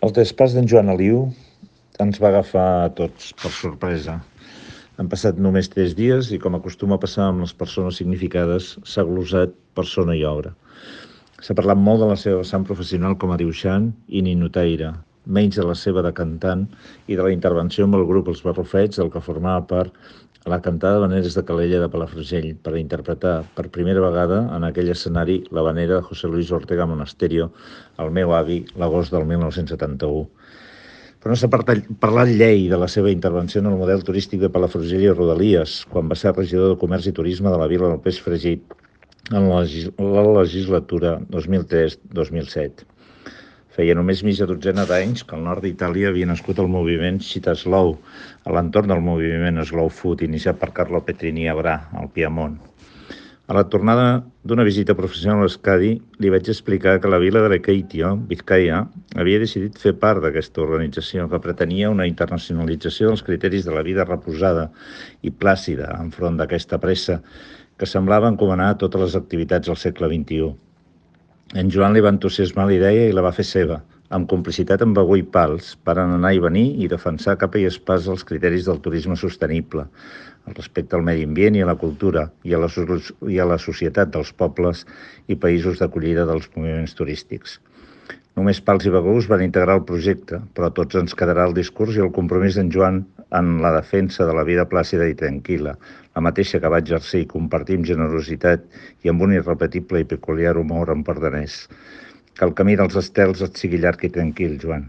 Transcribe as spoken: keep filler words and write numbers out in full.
El traspàs d'en Joan Aliu ens va agafar a tots per sorpresa. Han passat només tres dies i, com acostuma a passar amb les persones significades, s'ha glosat persona i obra. S'ha parlat molt de la seva vessant professional com a dibuixant i ninotaire, menys de la seva de cantant i de la intervenció amb el grup Els Barrufets, del que formava part a la cantada Habaneres de Calella de Palafrugell, per interpretar per primera vegada en aquell escenari l'habanera de José Luis Ortega Monasterio, el meu avi, l'agost del mil nou-cents setanta-u. Però no s'ha parlat llei de la seva intervenció en el model turístic de Palafrugell i Rodalies, quan va ser regidor de Comerç i Turisme de la Vila del Peix Fregit en la legislatura dos mil tres dos mil set. Feia només mitja dotzena d'anys que al nord d'Itàlia havia nascut el moviment Città Slow, a l'entorn del moviment Slow Food, iniciat per Carlo Petrini a Bra, al Piemont. A la tornada d'una visita professional a Euskadi, li vaig explicar que la vila de Lekeitio, Vizcaya, havia decidit fer part d'aquesta organització que pretenia una internacionalització dels criteris de la vida reposada i plàcida enfront d'aquesta pressa que semblava encomanar totes les activitats del segle vint-i-u. En Joan li va entusiasmar la idea i la va fer seva, amb complicitat amb Bagó i Pals, per anar i venir i defensar capa i espàs els criteris del turisme sostenible, el respecte al medi ambient i a la cultura i a la, i a la societat dels pobles i països d'acollida dels moviments turístics. Només Pals i Bagó es van integrar al projecte, però a tots ens quedarà el discurs i el compromís d'en Joan en la defensa de la vida plàcida i tranquil·la, la mateixa que va exercir i compartir amb generositat i amb un irrepetible i peculiar humor empordanès. Que el camí dels estels et sigui llarg i tranquil, Joan.